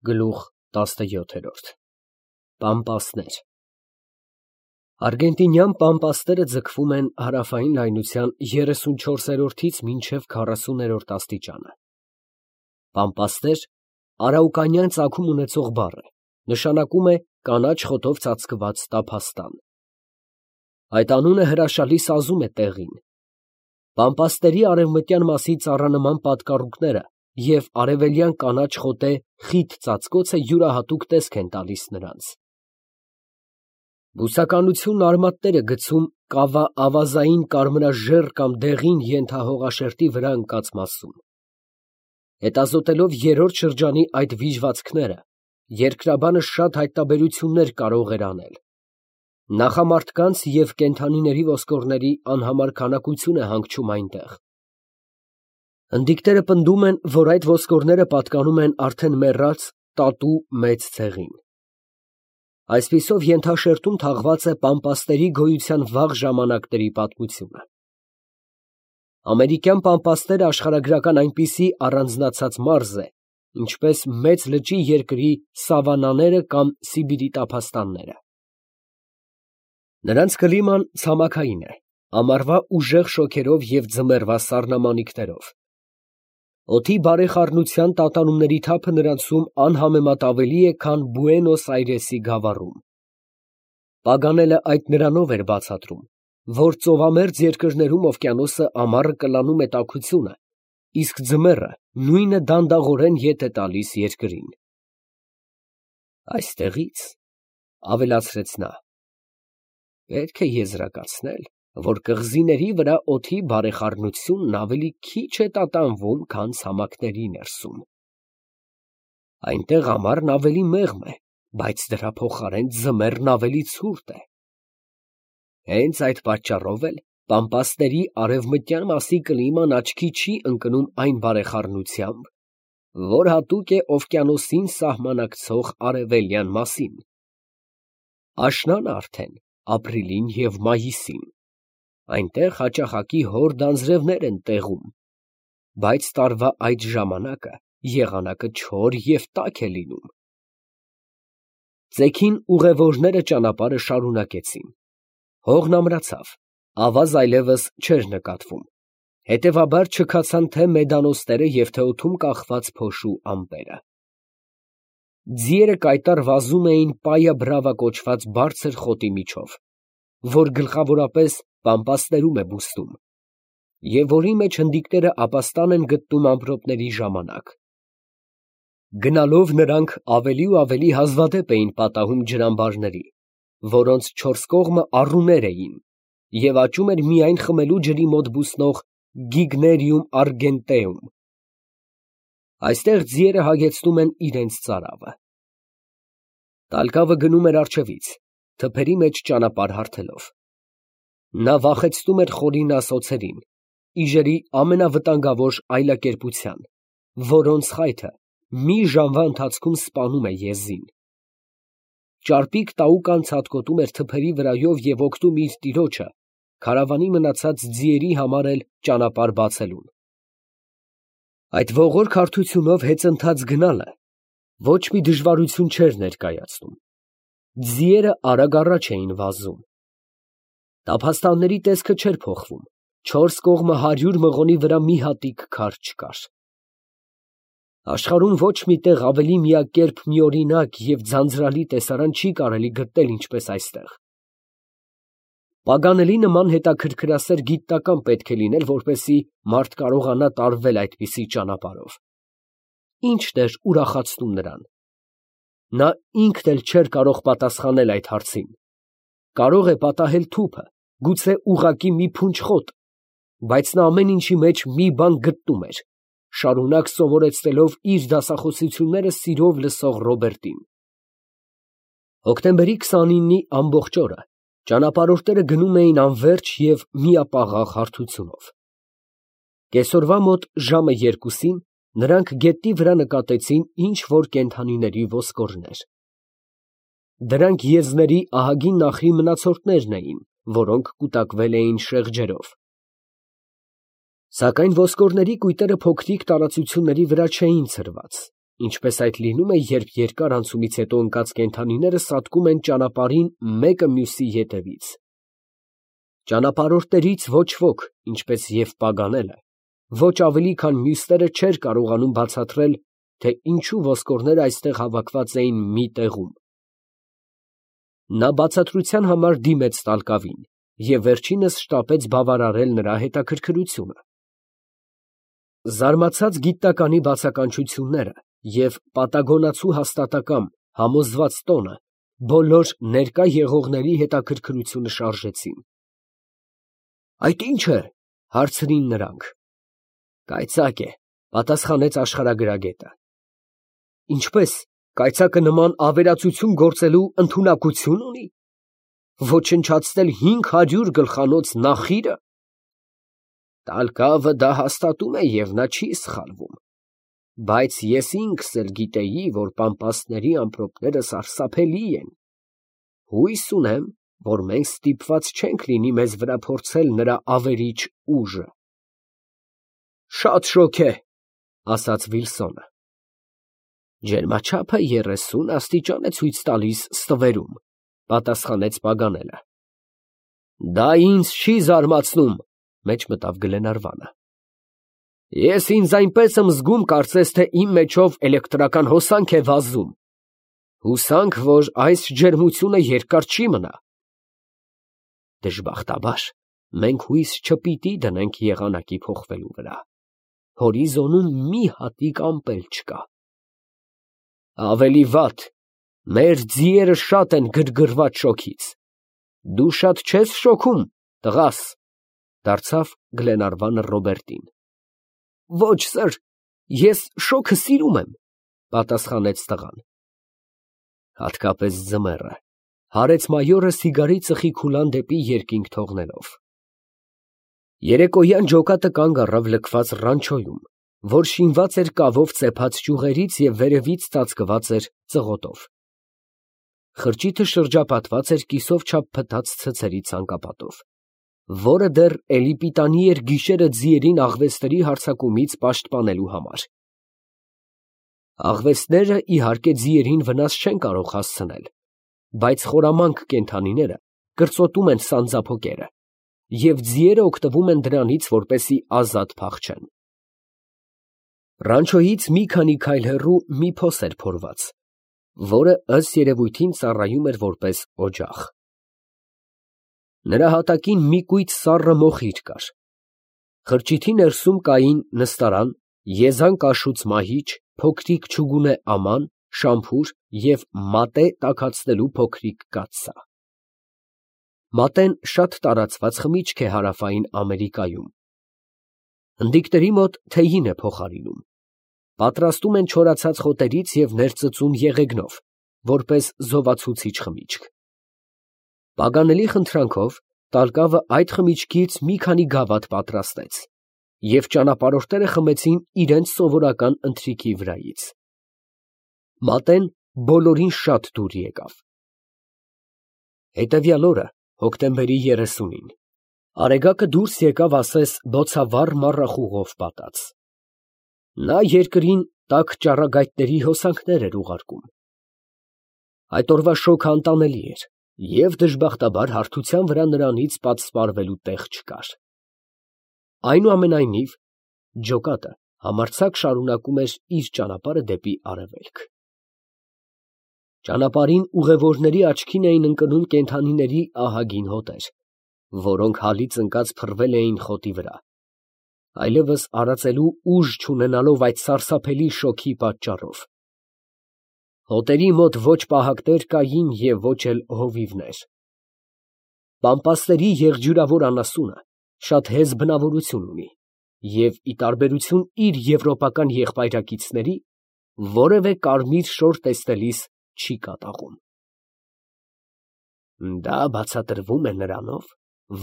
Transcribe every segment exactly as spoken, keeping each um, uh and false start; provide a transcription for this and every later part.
Գլուխ տասնյոթ Պամպասներ Արգենտինյան պամպասները ձգվում են հարավային լայնության երեսունչորսերորդից մինչև քառասուներորդ աստիճանը։ Պամպասներ արաուկանյան ծագում ունեցող բառ է, նշանակում է կանաչ խոտով ծածկված տափաստան։ Այդ անունը հրաշալի սազում է տեղին։ Պամպասների արևմտյան մասի ծառանման պատկառուկները և արևելյան կանաչ խոտե խիտ ծածկոցը յուրահատուկ տեսք են տալիս նրանց։ Բուսականությունն արմատներ է գցում կավա֊ավազային կարմրաժեռ կամ դեղին ենթահողաշերտի վրա ընկած մասում։ Հետազոտելով երրորդ շրջանի այդ վիժվածքները, երկրաբանը շատ հայտնաբերություններ կարող էր անել։ Նախամարդկանց և կենդանիների ոսկորների անհամար քանակություն է հանգչում այնտեղ։ Հնդիկները պնդում են, որ այդ ոսկորները պատկանում են արդեն մեռած տատու մեծ ցեղին։ Այսպիսով ենթաշերտում թաղված է պամպասների գոյության վաղ ժամանակների պատմությունը։ Ամերիկյան պամպասները աշխարհագրական այնպիսի առանձնացած մարզ է, ինչպես մեծ լճի երկրի սավանաները կամ Սիբիրի տափաստանները։ Նրանց կլիման ցամաքային է, ամառվա ուժեղ շոգերով և ձմեռվա սառնամանիքներով։ Օդի բարեխառնության տատանումների թափը նրանցում անհամեմատ ավելի է, քան Բուենոս Այրեսի գավառում։ Պագանելը այդ նրանով էր բացատրում, որ ծովամերձ երկրներում օվկիանոսը ամառը կլանում է տաքությունը, իսկ ձմեռը նույնը դանդաղորեն ետ է տալիս երկրին։ Այստեղից, ֊ ավելացրեց նա, ֊ պետք է եզրակացնել, որ կղզիների վրա օդի բարեխառնությունն ավելի քիչ է տատանվում, քան ցամաքների ներսում։ Այնտեղ ամառն ավելի մեղմ է, բայց դրա փոխարեն ձմեռն ավելի ցուրտ է։ Հենց այդ պատճառով էլ պամպասների արևմտյան մասի կլիման աչքի չի ընկնում այն բարեխառնությամբ, որ հատուկ է օվկիանոսին սահմանակցող արևելյան մասին։ Աշնանը արդեն ապրիլին և մայիսին, այնտեղ հաճախակի հորդ անձրևներ են տեղում, բայց տարվա այդ ժամանակը եղանակը չոր և տաք է լինում։ Ծեքին ուղևորները ճանապարհը շարունակեցին։ Հողն ամրացավ, ավազ այլևս չէր նկատվում, հետևաբար չքացան թե մեդանոստերը և թե օդում կախված փոշու ամպերը։ Ձիերը կայտառ վազում էին Պայա Բրավա կոչված բարձր խոտի միջով, որ գլխավորապես պամպասներում է բուստում, և որի մեջ հնդիկները ապաստան են գտնում ամպրոպների ժամանակ։ Գնալով նրանք ավելի ու ավելի հազվադեպ էին պատահում ջրամբարների, որոնց չորս կողմը առուներ էին, և աճում էր միայն խմելու ջրի մոտ բուսնող Գիգներիում արգենտեում։ Այստեղ ձիերը հագեցնում են իրենց ծարավը։ Տալկավը գնում էր առջևից, թփերի մեջ ճանապարհ հարթելով։ Նա վախեցնում էր խորին ասոցներին, իժերի ամենավտանգավոր այլակերպության, որոնց խայթը մի ժամվա ընթացքում սպանում է եզին։ Ճարպիկ տաուկան ցատկոտում էր թփերի վրայով և օգնում իր տիրոջը քարավանի մնացած ձիերի համար էլ ճանապարհ բացելուն։ Այդ ողորկ հարթությունով հեծընթաց գնալը ոչ մի դժվարություն չէր ներկայացնում։ Ձիերը արագ առաջ էին վազում։ Տափաստանների տեսքը չէր փոխվում, չորս կողմը հարյուր մղոնի վրա մի հատիկ քար չկար։ Աշխարհում ոչ մի տեղ ավելի միակերպ, միօրինակ և ձանձրալի տեսարան չի կարելի գտնել, ինչպես այստեղ։ Պագանելի նման հետաքրքրասեր գիտնական պետք է լինել, որպեսզի մարդ կարողանա տարվել այդպիսի ճանապարհով։ Ի՞նչն էր ուրախացնում նրան։ Նա ինքն էլ չէր կարող պատասխանել այդ հարցին։ Կարող է պատահել թուփը, գուցե ուղղակի մի փունջ խոտ, բայց նա ամեն ինչի մեջ մի բան գտնում էր, շարունակ սովորեցնելով իր դասախոսությունները սիրով լսող Ռոբերտին։ Հոկտեմբերի քսանինի ամբողջ օրը ճանապարհորդները գնում էին անվերջ և միապաղաղ հարթությունով։ Կեսօրվա մոտ ժամը երկուսին նրանք գետնի վրա նկատեցին ինչ֊որ կենդանիների ոսկորներ։ Դրանք եզների ահագին նախրի մնացորդներն էին, որոնք կուտակվել էին շեղջերով։ Սակայն ոսկորների կույտերը փոքրիկ տարածությունների վրա չէին ցրված, ինչպես այդ լինում է, երբ երկար անցումից հետո ընկած կենդանիները սատկում են ճանապարհին մեկը մյուսի ետևից։ Ճանապարհորդներից ոչ ոք, ինչպես և Պագանելը, ոչ ավելի, քան մյուսները չէր կարողանում բացատրել, թե ինչու ոսկորները այստեղ հավաքված էին մի տեղում։ Նա բացատրության համար դիմեց տալկավին և վերջինս շտապեց բավարարել նրա հետաքրքրությունը։ Զարմացած գիտնականի բացականչությունները և պատագոնացու հաստատակամ համոզված տոնը բոլոր ներկա եղողների հետաքրքրությունը շարժեցին։ ֊ Այդ ի՞նչ է, ֊ հարցրին նրանք։ ֊ Կայծակ է, ֊ պատասխանեց աշխարհագրագետը։ ֊ Ինչպե՞ս, կայծակը նման ավերածություն գործելու ընդունակություն ունի։ Ոչնչացնել հինգ հարյուր գլխանոց նախիրը։ Տալ֊Կավը դա հաստատում է և նա չի սխալվում, բայց ես ինքս էլ գիտեի, որ պամպասների ամպրոպները սարսափելի են։ Հույս ունեմ, որ մենք ստիպված չենք լինի մեզ վրա փորձել նրա ավերիչ ուժը։ Շատ շոգ է, ֊ ասաց Վիլսոնը։ Ջերմաչափը երեսուն աստիճան է ցույց տալիս ստվերում, ֊ պատասխանեց Պագանելը։ Դա ինձ չի զարմացնում, ֊ մեջ մտավ Գլենարվանը։ Ես ինձ այնպես եմ զգում, կարծես թե իմ մեջով էլեկտրական հոսանք է վազում։ Հուսանք, որ այս ջերմությունը երկար չի մնա։ Դժբախտաբար, մենք հույս չպիտի դնենք եղանակի փոխվելու վրա։ Հորիզոնում մի հատիկ ամպ էլ չկա։ Ավելի վատ, մեր ձիերը շատ են գրգռված շոգից։ Դու շատ չես շոգում, տղաս, ֊ դարձավ Գլենարվանը Ռոբերտին։ Ոչ, սըր, ես շոգը սիրում եմ, ֊ պատասխանեց տղան։ Հատկապես ձմեռը, ֊ հարեց մայորը սիգարի ծխի քուլան դեպի երկինք թողնելով։ Երեկոյան ջոկատը կանգ առավ լքված ռանչոյում, որ շինված էր կավով ծեփած ճյուղերից և վերևից ծածկված էր ծղոտով։ Խրճիթը շրջապատված էր կիսով չափ փտած ցցերի ցանկապատով, որը դեռ էլի պիտանի էր գիշերը ձիերին աղվեսների հարձակումից պաշտպանելու համար։ Աղվեսները, իհարկե, ձիերին վնաս չեն կարող հասցնել, բայց խորամանկ կենդանիները կրծոտում են սանձափոկերը, և ձիերը օգտվում են դրանից, որպեսզի ազատ փախչեն։ Ռանչոյից մի քանի քայլ հեռու մի փոս էր փորված, որը ըստ երևույթին ծառայում էր որպես օջախ։ Նրա հատակին մի կույտ սառը մոխիր կար։ Խրճիթի ներսում կային նստարան, եզան կաշուց մահիճ, փոքրիկ չուգունե աման, շամփուր և մատե տաքացնելու փոքրիկ կաթսա։ Մատեն շատ տարածված խմիչք է Հարավային Ամերիկայում։ Հնդիկների մոտ թեյին է փոխարինում։ Պատրաստում են չորացած խոտերից և ներծծում եղեգնով, որպես զովացուցիչ խմիչք։ Պագանելի խնդրանքով Տալ֊Կավը այդ խմիչքից մի քանի գավաթ պատրաստեց, և ճանապարհորդները խմեցին իրենց սովորական ընթրիքի վրայից։ Մատեն բոլորին շատ դուր եկավ։ Հետևյալ օրը, հոկտեմբերի երեսունին, արեգակը դուրս եկավ ասես բոցավառ մառախուղով պատած։ Նա երկրին տաք ճառագայթների հոսանքներ էր ուղարկում։ Այդ օրվա շոգը անտանելի էր, և դժբախտաբար հարթության վրա նրանից պատսպարվելու տեղ չկար։ Այնուամենայնիվ, ջոկատը համարձակ շարունակում էր իր ճանապարհը դեպի արևելք։ Ճանապարհին ուղևորների աչքին էին ընկնում կենդանիների ահագին հոտեր, որոնք հալից ընկած փռվել էին խոտի վրա, այլևս արածելու ուժ չունենալով այդ սարսափելի շոգի պատճառով։ Հոտերի մոտ ոչ պահակներ կային և ոչ էլ հովիվներ։ Պամպասների եղջյուրավոր անասունը շատ հեզ բնավորություն ունի և, ի տարբերություն իր եվրոպական եղբայրակիցների, որևէ կարմիր շոր տեսնելիս չի կատաղում։ Դա բացատրվում է նրանով,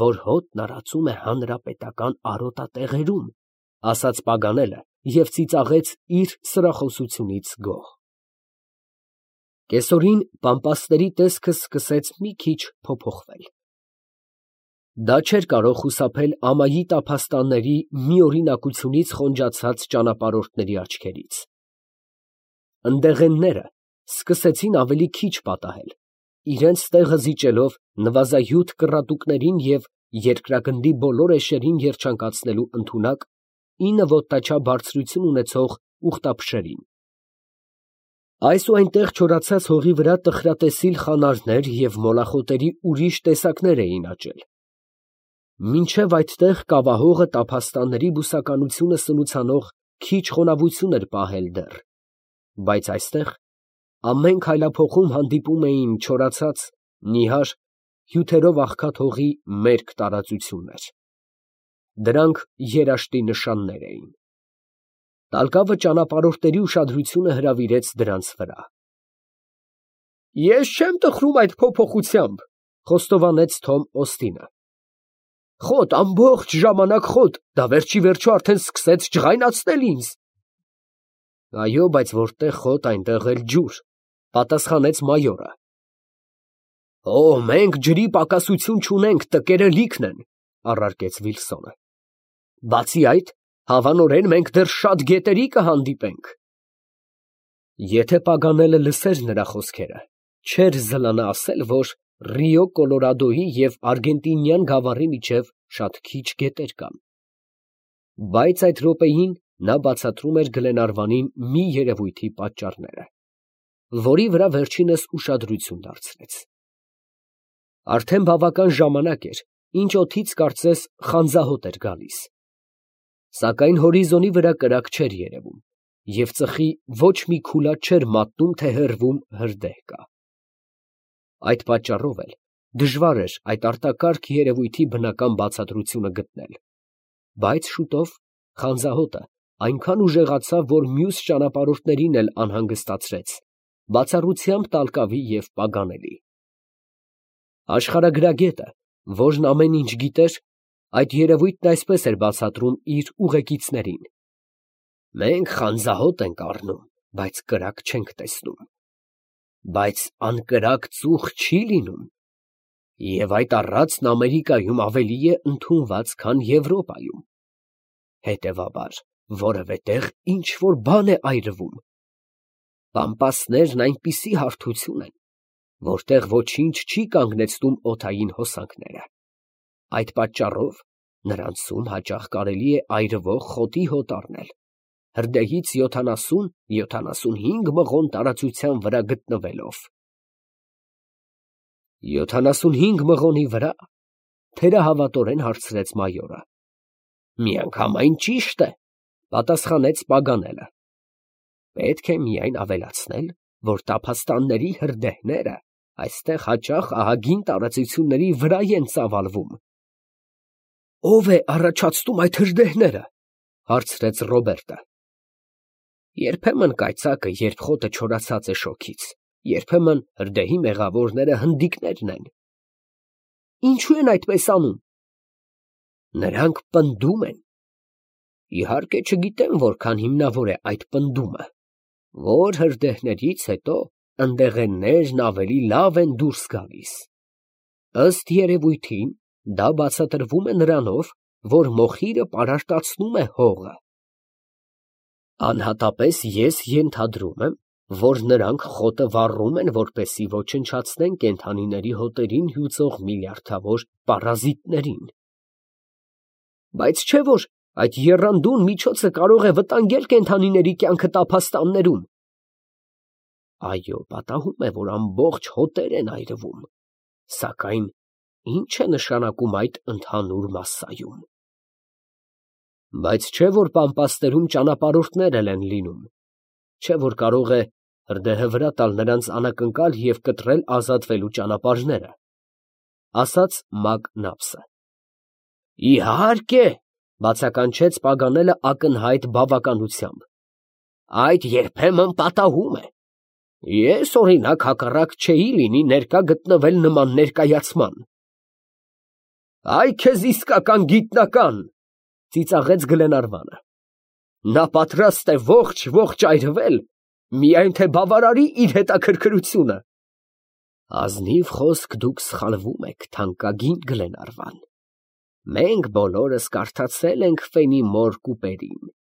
որ հոտն արածում է հանրապետական արոտատեղերում, ֊ ասաց Պագանելը և ծիծաղեց իր սրախոսությունից գոհ։ Կեսօրին պամպասների տեսքը սկսեց մի քիչ փոփոխվել։ Դա չէր կարող խուսափել ամայի տափաստանների մի օրինակությունից խոնջացած ճանապարհորդների աչքերից։ ընդեղենները սկսեցին ավելի քիչ պատահել, իրենց տեղը զիջելով նվազագյուտ կռատուկներին և երկրագնդի բոլոր էշերին երջանկացնելու ընդունակ ինը ոտնաչափ բարձրություն ունեցող ուղտափշերին։ Այս ու այնտեղ չորացած հողի վրա տխրատեսիլ խանարդներ և մոլախոտերի ուրիշ տեսակներ էին աճել, մինչև այդտեղ կավահողը տափաստանների բուսականությունը սնուցանող քիչ խոնավություն էր պահել դեռ, բայց այստեղ ամեն քայլափոխում հանդիպում էին չորացած, նիհար, հյութերով աղքատ հողի մերկ տարածություններ. դրանք երաշտի նշաններ էին։ Տալկավը ճանապարհորդների ուշադրությունը հրավիրեց դրանց վրա։ «Ես չեմ տխրում այդ փոփոխությամբ», խոստովանեց Թոմ Օստինը։ «Խոտ, ամբողջ ժամանակ խոտ, դա վերջիվերջո արդեն սկսեց ջղայնացնել ինձ»։ «Այո, բայց որտեղ խոտ, այնտեղ էլ ջուր», պատասխանեց մայորը։ «Օ, մենք ջրի պակասություն չունենք, տկերը լիքն են», առարկեց Վիլսոնը։ «Բացի այդ, հավանորեն մենք դեռ շատ գետերի կհանդիպենք»։ Եթե Պագանելը լսեր նրա խոսքերը, չէր զլանա ասել, որ Ռիո Կոլորադոյի և Արգենտինյան գավառի միջև շատ քիչ գետեր կան։ Բայց այդ րոպեին նա բացատրում էր Գլենարվանին մի երևույթի պատճառները, որի վրա վերջինս ուշադրություն դարձրեց։ Արդեն բավական ժամանակ էր, ինչ օդից կարծես խանձահոտ էր գալիս, սակայն հորիզոնի վրա կրակ չէր երևում, և ծխի ոչ մի քուլա չէր մատնում, թե հեռվում հրդեհ կա։ Այդ պատճառով էլ դժվար էր այդ արտակարգ երևույթի բնական բացատրությունը գտնել, բայց շուտով խանձահոտը այնքան ուժեղացավ, որ մյուս ճանապարհորդներին էլ անհանգստացրեց, բացառությամբ Տալկավի և Պագանելի։ Աշխարհագրագետը, որն ամեն ինչ գիտեր, այդ երևույթն այսպես էր բացատրում իր ուղեկիցներին. «Մենք խանձահոտ ենք առնում, բայց կրակ չենք տեսնում։ Բայց անկրակ ծուխ չի լինում, և այդ առածն Ամերիկայում ավելի է ընդունված, քան Եվրոպայում։ Հետևաբար, որևէ տեղ ինչ֊որ բան է այրվում։ Պամպասներն այնպիսի հարթություն են, որտեղ ոչինչ չի կանգնեցնում օդային հոսանքները։ Այդ պատճառով նրանցում հաճախ կարելի է այրվող խոտի հոտ առնել, հրդեհից յոթանասուն֊յոթանասունհինգ մղոն տարածության վրա գտնվելով»։ «Յոթանասունհինգ մղոնի վրա», թերահավատորեն հարցրեց մայորը։ «Միանգամայն ճիշտ է», պատասխանեց Պագանելը։ «Պետք է միայն ավելացնել, որ տափաստանների հրդեհները այստեղ հաճախ ահագին տարածությունների վրա են ծավալվում»։ «Ո՞վ է առաջացնում այդ հրդեհները», հարցրեց Ռոբերտը։ «Երբեմն կայծակը, երբ խոտը չորացած է շոգից, երբեմն հրդեհի մեղավորները հնդիկներն են»։ «Ինչո՞ւ են այդպես անում»։ «Նրանք պնդում են։ Իհարկե չգիտեմ որքան հիմնավոր է այդ պնդումը, որ հրդեհներից հետո ընդեղեններն ավելի լավ են դուրս գալիս։ Ըստ երևույթին, դա բացատրվում է նրանով, որ մոխիրը պարարտացնում է հողը։ Անհատապես ես ենթադրում եմ, որ նրանք խոտը վառում են, որպեսզի ոչնչացնեն կենդանիների հոտերին հյուծող միլիարդավոր պարազիտներին։ Բայց չէ՞ որ այդ եռանդուն միջոցը կարող է վտանգել կենդանիների կյանքը տափաստաններում։ Այո, պատահում է, որ ամբողջ հոտեր են այրվում, սակայն ի՞նչ է նշանակում այդ ընդհանուր մասսայում։ Բայց չէ՞ որ պամպասներում ճանապարհորդներ էլ են լինում, չէ՞ որ կարող է հրդեհը վրա տալ նրանց անակնկալ և կտրել ազատվելու ճանապարհները, ասաց Մակնաբսը։ Իհարկե, բացականչեց Պագանելը ակնհայտ բավականությամբ, այդ երբեմն պատահում է։ Ես, օրինակ, հակառակ չէի լինի ներկա գտնվել նման ներկայացման։ Այ քեզ իսկական գիտնական, ծիծաղեց Գլենարվանը։ Նա պատրաստ է ողջ֊ողջ այրվել, միայն թե բավարարի իր հետաքրքրությունը։ Ազնիվ խոսք դուք սխալվում եք, թանկագին Գլենարվան։ Մենք բոլորս կարդացել ենք Ֆենիմոր կուպերին։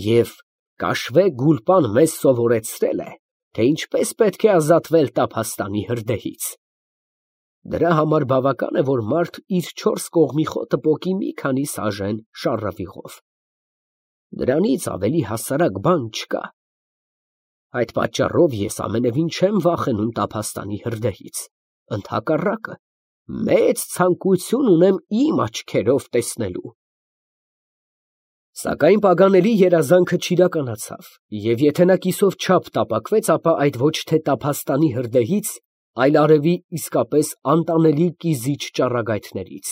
Եվ Կաշվե Գուլպան մեզ սովորեցրել է, թե ինչպես պետք է ազատվել տափաստանի հրդեհից. դրա համար բավական է, որ մարդ իր չորս կողմի խոտը պոկի մի քանի սաժեն շառավիղով. դրանից ավելի հասարակ բան չկա։ Այդ պատճառով ես ամենևին չեմ վախենում տափաստանի հրդեհից, ընդհակառակը, մեծ ցանկություն ունեմ իմ աչքերով տեսնելու։ Սակայն Պագանելի երազանքը չիրականացավ, և եթե նա կիսով չափ տապակվեց, ապա այդ ոչ թե տափաստանի հրդեհից, այլ արևի իսկապես անտանելի կիզիչ ճառագայթներից։